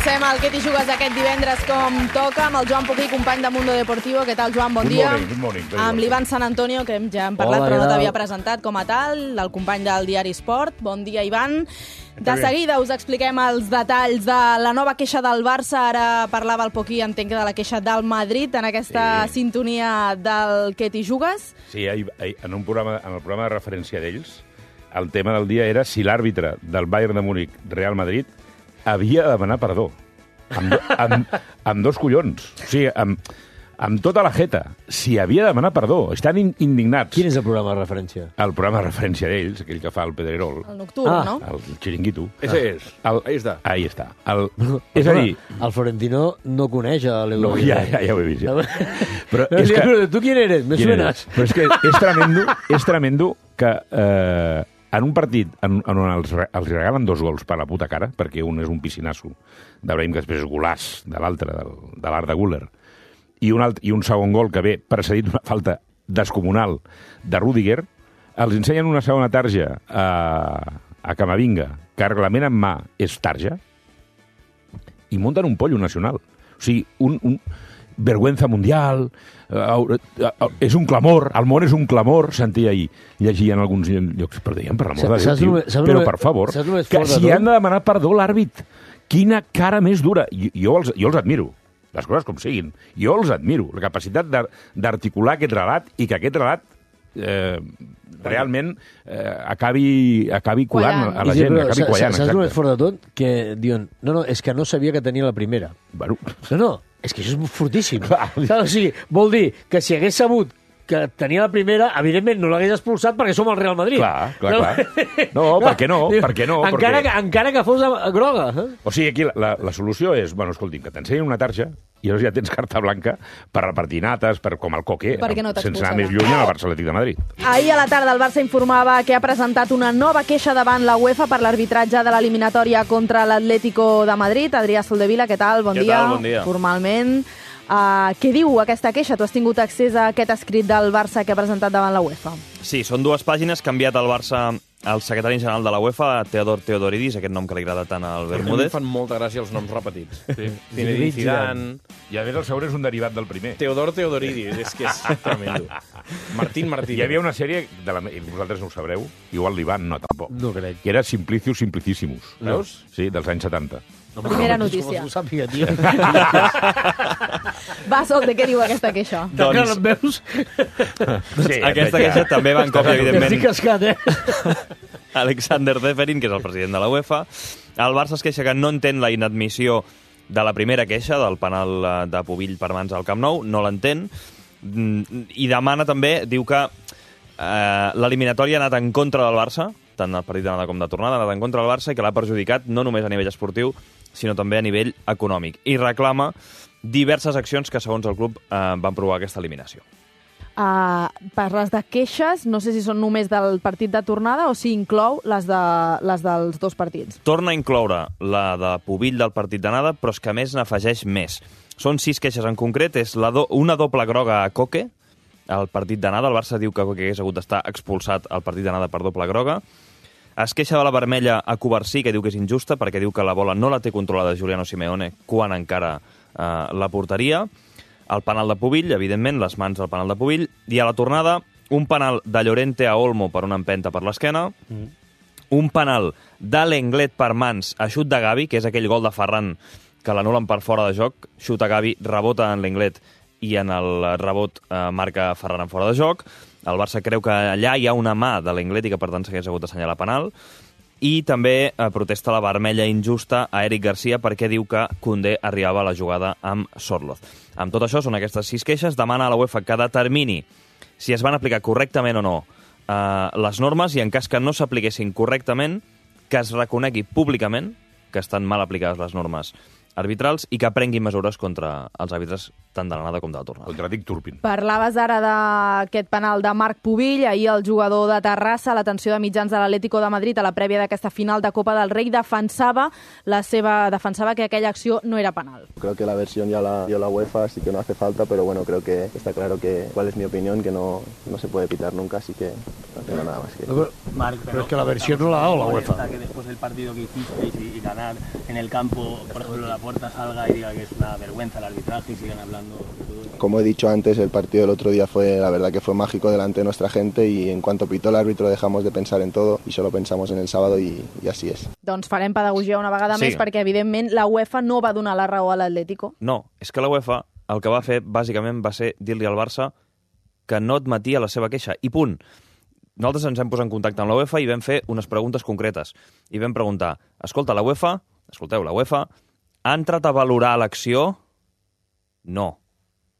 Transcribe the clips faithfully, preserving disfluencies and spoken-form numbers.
Comencem el Què t'hi jugues aquest divendres com toca amb el Joan Poquí, company de Mundo Deportivo. Què tal, Joan? Bon good dia. Morning, good morning, amb l'Ivan San Antonio, que ja hem parlat, Hola, però no Hola. t'havia presentat com a tal, del company del diari Esport. Bon dia, Ivan. De seguida us expliquem els detalls de la nova queixa del Barça. Ara parlava el Poquí, entenc que de la queixa del Madrid, en aquesta Sí. sintonia del Què t'hi jugues. Sí, ahir, ahir, en, un programa, en el programa de referència d'ells, el tema del dia era si l'àrbitre del Bayern de Múnich Real Madrid havia de demanar perdó. Amb, do, amb, amb dos collons. O sigui, amb, amb tota la jeta. Si havia de demanar perdó. Estan in, indignats. Quin és el programa de referència? El programa de referència d'ells, aquell que fa el Pedrerol, El nocturn, Ah. no? el xiringuito. Ese és. El, Ahí està. Ahí està. El, és a dir... El Florentino no coneix a l'Euro. No, ja, ja, ja ho he vist. Ja. Però És és que... que... Tu quién eres? Me ¿Quién suenas. eres? Però és que és tremendo, és tremendo que eh, en un partit en, en on els, re- els regalen dos gols per la puta cara, perquè un és un piscinasso d'Abraham, que després és golàs de l'altre, del, de l'Arda Güler, i un, alt, i un segon gol que ve precedit d'una falta descomunal de Rüdiger, els ensenyen una segona tarja a, a Camavinga, que reglament en mà és tarja, i munten un pollo nacional. O sigui, un, un vergüenza mundial, uh, uh, uh, és un clamor, el món és un clamor, sentia ahir, llegia en alguns llocs, però deien, per l'amor de Déu, Saps tio, només- saps però només- per favor, saps només que fort de si tot? han de demanar perdó l'àrbit, quina cara més dura. Jo, jo, els, jo els admiro, les coses com siguin, jo els admiro, la capacitat d'ar- d'articular aquest relat i que aquest relat eh, realment eh, acabi, acabi colant Quallant. a la I sí, gent, però acabi saps- quallant. Saps el més exacte. fort de tot? Que diuen, no, no, és que no sabia que tenia la primera. Bueno, No, no, és que això és fortíssim. Clar. Saps? O sigui, vol dir que si hagués sabut que tenia la primera, evidentment no l'hagués expulsat perquè som el Real Madrid. Clar, clar, clar. No, per què no? Per què no? Encara, Perquè- que, encara que fos a- groga. Eh? O sigui, aquí la, la, la solució és, bueno, escolti'm, que t'ensenyin una tarja i llavors ja tens carta blanca per repartir nates, per, com el Coque, Perquè no sense anar t'expulsarà. més lluny al Barça Atlètic de Madrid. Ahir a la tarda el Barça informava que ha presentat una nova queixa davant la UEFA per l'arbitratge de l'eliminatòria contra l'Atlético de Madrid. Adrià Soldevila, què tal? Bon Què dia. tal? Bon dia. Formalment. Uh, què diu aquesta queixa? Tu has tingut accés a aquest escrit del Barça que ha presentat davant la UEFA. Sí, són dues pàgines que ha enviat el Barça al secretari general de la UEFA, Teodor Teodoridis, aquest nom que li agrada tant al A mi em Bermúdez. fan molta gràcia els noms repetits. Sí. Zinedine Zidane, I a més el segon és un derivat del primer. Teodor Teodoridis, és que és tremendo. Martín Martín. Hi havia una sèrie, de la, i vosaltres no ho sabreu, igual l'Ivan no, tampoc, No crec. que era Simplicius Simplicissimus. Veus? Sí, dels anys setanta. Primera notícia. Com ho sàpiga, tio. Va, Solde, què diu aquesta queixa? Doncs... Doncs em veus? Sí, aquesta queixa també va en còpia, Estic evidentment, cascat, eh? Alexander Zeferin, que és el president de la UEFA. El Barça es queixa que no entén la inadmissió de la primera queixa, del penal eh, de Pubill per mans al Camp Nou, no l'entén, Mm, i demana també, diu que eh, l'eliminatòria ha anat en contra del Barça, tant el partit d'anada com de tornada, ha anat en contra del Barça i que l'ha perjudicat no només a nivell esportiu, sinó també a nivell econòmic. I reclama diverses accions que, segons el club, eh, van provocar aquesta eliminació. Uh, parles de queixes, no sé si són només del partit de tornada o si inclou les, de, les dels dos partits. Torna a incloure la de Pubill del partit d'anada, però és que a més n'afegeix més. Són sis queixes en concret, és la do una doble groga a Coque, al partit d'anada. El Barça diu que Coque hagués hagut d'estar expulsat al partit d'anada per doble groga. Es queixa de la vermella a Covarsí, que diu que és injusta, perquè diu que la bola no la té controlada Giuliano Simeone quan encara eh, la porteria. El penal de Pubill, evidentment, les mans del penal de Pubill. I a la tornada, un penal de Llorente a Olmo per una empenta per l'esquena. Mm. Un penal de Lenglet per mans a xut de Gavi, que és aquell gol de Ferran que l'anulen per fora de joc, xuta Gavi, rebota en l'Englet i en el rebot eh, marca Ferran en fora de joc. El Barça creu que allà hi ha una mà de l'Englet i que per tant s'hagués hagut d'assenyalar penal. I també eh, protesta la vermella injusta a Eric Garcia perquè diu que Koundé arribava a la jugada amb Sorloth. Amb tot això, són aquestes sis queixes. Demana a la UEFA que determini si es van aplicar correctament o no eh, les normes i en cas que no s'apliquessin correctament, que es reconegui públicament que estan mal aplicades les normes arbitrals i que prenguin mesures contra els àrbitres tant de l'anada com de la tornada. Contra Dick Turpin. Parlaves ara d'aquest penal de Marc Pubill, ahir el jugador de Terrassa, l'atenció de mitjans de l'Atlético de Madrid a la prèvia d'aquesta final de Copa del Rei, defensava la seva defensava que aquella acció no era penal. Creo que la versión ya la dio la UEFA, así que no hace falta, pero bueno, creo que está claro que cuál es mi opinión, que no, no se puede pitar nunca, así que no tengo nada más que decir. Marc, pero es que la versión no la ha dado la UEFA. Que después del partido que hicisteis y, y ganar en el campo, por ejemplo, la Puerta salga y diga que es una vergüenza el arbitraje y sigan hablando de todo eso. Como he dicho antes, el partido del otro día fue, la verdad que fue mágico delante de nuestra gente y en cuanto pitó el árbitro dejamos de pensar en todo y solo pensamos en el sábado y, y así es. Doncs farem pedagogia una vegada Sí. més perquè, evidentment, la UEFA no va donar la raó a l'Atlético. No, és que la UEFA el que va fer, bàsicament, va ser dir-li al Barça que no admetia la seva queixa. I punt. Nosaltres ens hem posat en contacte amb la UEFA i vam fer unes preguntes concretes. I vam preguntar, escolta, la UEFA, escolteu, la UEFA ha entrat a valorar l'acció? No.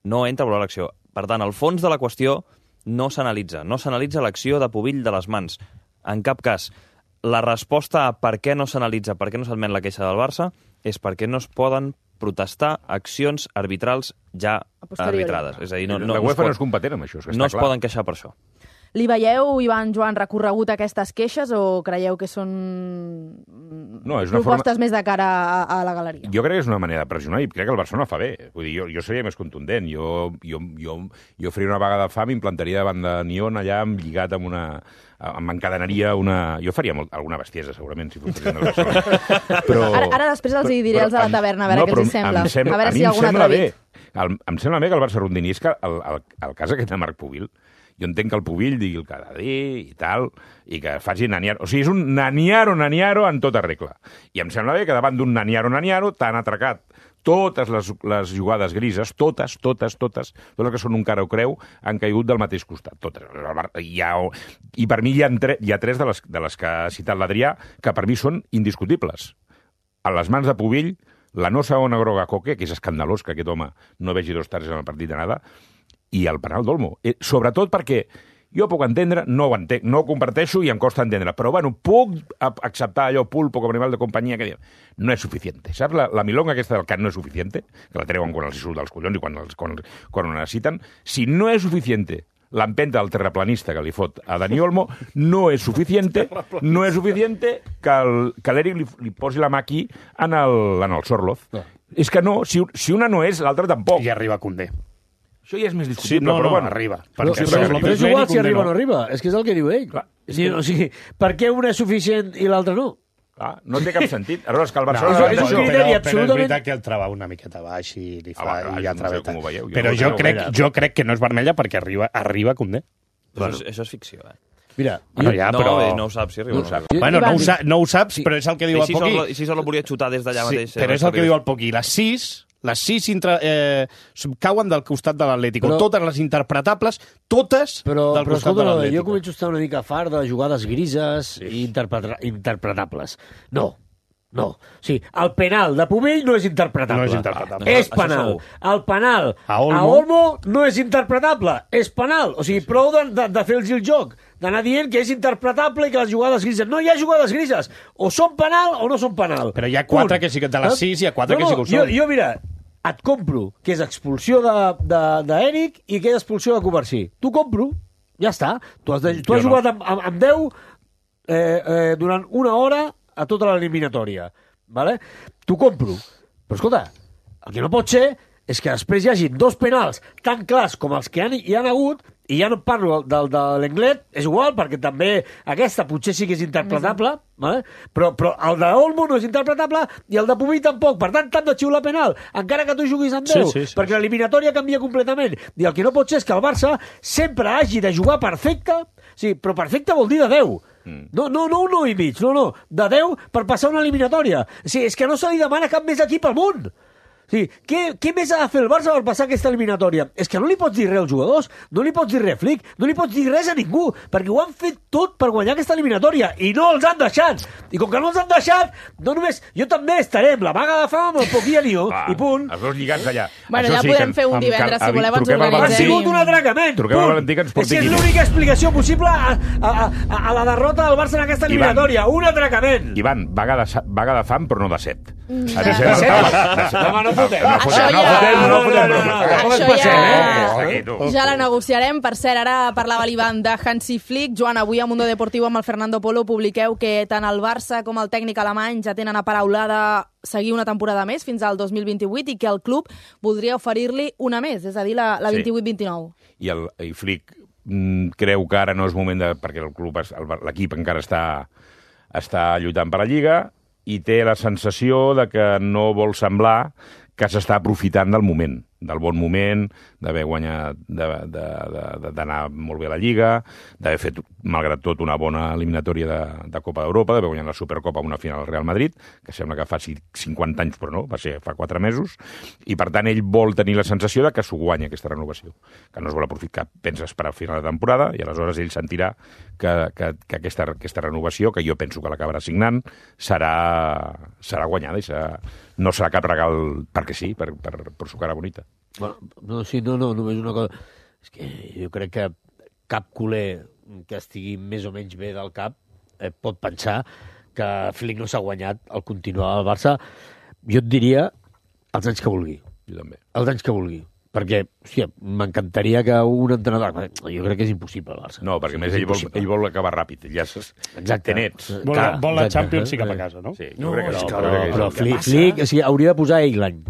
No entra a valorar l'acció. Per tant, el fons de la qüestió no s'analitza. No s'analitza l'acció de Pubill de les mans. En cap cas. La resposta a per què no s'analitza, per què no s'admet la queixa del Barça, és perquè no es poden protestar accions arbitrals ja arbitrades. És a dir, no, no, la UEFA no no és competent amb això, és que no està es clar. poden queixar per això. Li veieu, Ivan, Joan, recorregut aquestes queixes o creieu que són No, és una propostes forma... més de cara a, a la galeria? Jo crec que és una manera de pressionar i crec que el Barcelona fa bé. Vull dir, jo, jo seria més contundent. Jo, jo, jo, jo faria una vaga de fam i implantaria davant de Nion allà lligat amb una... em encadenaria una... Jo faria molt, alguna bestiesa, segurament, si fos president del Barcelona. Però, Ara, ara després els hi diré els de la taverna, a veure no, què els hi sembla. Em sembla. A veure A si mi hi ha em algun sembla atrevit. bé. El, em sembla bé que el Barça rondini. És que el, el, el cas aquest de Marc Pubill, jo entenc que el Pubill digui el que ha de dir i tal, i que faci naniaro. O sigui, és un naniaro-naniaro en tota regla. I em sembla bé que davant d'un naniaro-naniaro t'han atracat totes les, les jugades grises, totes, totes, totes, totes que són un cara o creu, han caigut del mateix costat. Totes. Hi ha, I per mi hi ha, tre, hi ha tres de les, de les que ha citat l'Adrià que per mi són indiscutibles. A les mans de Pubill, la no segona groga a Coque, que és escandalós que aquest home no vegi dos targes en el partit de nada, i el penal d'Olmo. Eh, sobretot perquè jo puc entendre, no ho entenc, no ho comparteixo i em costa entendre, però bueno, puc acceptar allò pulpo com animal de companyia que diu, no és suficient. Saps la, la milonga aquesta del cant no és suficient, que la treuen quan els hi surt dels collons i quan, els, quan, quan ho necessiten? Si no és suficient l'empenta del terraplanista que li fot a Dani Olmo, no és suficient, no és suficient que l'Eric li, li posi la mà aquí en el, en el Sorloz. No. És que no, si, si una no és, l'altra tampoc. I arriba Koundé. Això ja és més discutible, sí, no, però no, bueno. arriba. Però, Perquè però, però, però és igual si arriba o no arriba. És que és el que diu ell. Clar, sí, o sigui, per què una és suficient i l'altra no? Clar, no té cap sentit. Aleshores, que el No, Barcelona... és un però, criteri però, absolutament- però és veritat que el trava una miqueta baix i li fa... Ah, va, i ja no sé traveta. com ho veieu, jo Però no jo ho crec, veure. jo crec que no és vermella perquè arriba, arriba Koundé. Però això, és, això és ficció, eh? Mira, Bueno, ja, no, però... bé, no ho saps si arriba o no. saps. Jo- Bueno, Ivan, no ho, sa no ho saps, però és el que diu I el si Poqui. sol, i si sol volia xutar des d'allà Sí, mateix... però és el que diu el Poqui. Les sis, les sis intra, eh, cauen del costat de l'Atlético. Però- Totes les interpretables, totes Però, del però costat escolta, de jo l'Atlético. començo a estar una mica fart de jugades grises i interpreta interpretables. No, no. O sigui, el penal de Pubill no és interpretable. No és interpretable. És Això penal. segur. El penal A a Olmo. Olmo no és interpretable. És penal. O sigui, prou de, de, de fer-los el joc. D'anar dient que és interpretable i que les jugades grises... No hi ha jugades grises. O són penal o no són penal. Però hi ha quatre Punt. que sí que de les Saps? sis hi ha quatre no, que sí que ho no, són. Jo, jo, mira, et compro que és expulsió d'Eric de, de, i que és expulsió de Covarsí. T'ho compro, ja està. Tu has, de, tu has Jo no. jugat amb, amb, amb deu eh, eh, durant una hora a tota l'eliminatòria. Vale? T'ho compro. Però escolta, el que no pot ser és que després hi hagi dos penals tan clars com els que han, hi han hagut, i ja no parlo del de l'Englet, és igual, perquè també aquesta potser sí que és interpretable, vale? però, però el de Olmo no és interpretable i el de Pubill tampoc. Per tant, t'han de xiular penal, encara que tu juguis amb deu, Sí, sí, sí, perquè l'eliminatòria canvia completament. I el que no pot ser és que el Barça sempre hagi de jugar perfecte, sí, però perfecte vol dir de deu. No, no, no un nou i mig, no, no, de deu per passar una eliminatòria. O sigui, és que no se li demana cap més equip al món. O sigui, què, què més ha de fer el Barça per passar aquesta eliminatòria? És que no li pots dir res als jugadors, no li pots dir res a Flick, no li pots dir res a ningú, perquè ho han fet tot per guanyar aquesta eliminatòria i no els han deixat. I com que no els han deixat, no només... Jo també estaré amb la vaga de fam amb el Poquí i Nió, Ah, i punt. Els dos lligats allà. Bueno, Això ja sí, podem que fer un amb divendres, cal- si voleu, ens truquem al organitzem. Ha Valentí. sigut un atracament, Truquem al punt. Valentí que ens És que porti és aquí. l'única explicació possible a, a, a, a la derrota del Barça en aquesta Ivan. eliminatòria. Un atracament. Ivan, vaga de, sa- vaga de fam, però no de set. Mm. Ha de ser De el set? tabac. De set. Home, no fotem. No Això fotem, no ja- fotem, no no, fotem no, bromes. no, Hasta com es Això passem, ja- eh? Hasta aquí, tu. Ja la negociarem. Per cert, ara parlava l'Ivan de Hansi Flick. Joan, avui a Mundo Deportivo amb el Fernando Polo publiqueu que tant el Barça com el tècnic alemany ja tenen aparaulada seguir una temporada més fins al dos mil vint-i-vuit i que el club voldria oferir-li una més, és a dir, la, la Sí. vint-i-vuit vint-i-nou. I, el, i Flick mm, creu que ara no és moment de... perquè el club, l'equip encara està, està lluitant per la Lliga i té la sensació de que no vol semblar que s'està aprofitant del moment, del bon moment, d'haver guanyat, d'anar molt bé a la Lliga, d'haver fet, malgrat tot, una bona eliminatòria de, de Copa d'Europa, d'haver guanyat la Supercopa amb una final al Real Madrid, que sembla que fa cinquanta anys, però no, va ser fa quatre mesos, i per tant ell vol tenir la sensació de que s'ho guanya aquesta renovació, que no es vol aprofitar, que pensa esperar al final de temporada, i aleshores ell sentirà que, que, que aquesta, aquesta renovació, que jo penso que l'acabarà signant, serà, serà guanyada i serà, no serà cap regal perquè sí, per, per, per su cara bonita. Bueno, no, sí, no, no, només una cosa. És que jo crec que cap culer que estigui més o menys bé del cap eh, pot pensar que Flick no s'ha guanyat al continuar al Barça. Jo et diria els anys que vulgui. Jo també. Els anys que vulgui. Perquè, hòstia, m'encantaria que un entrenador... Jo crec que és impossible al Barça. No, perquè sí, més ell vol, ell vol acabar ràpid. Ja exacte. Té nets. Vol, vol la Champions i cap a casa, no? Sí, no, crec que no, sí, però, crec que però sí. Flick, Flick o sigui, hauria de posar ell l'any.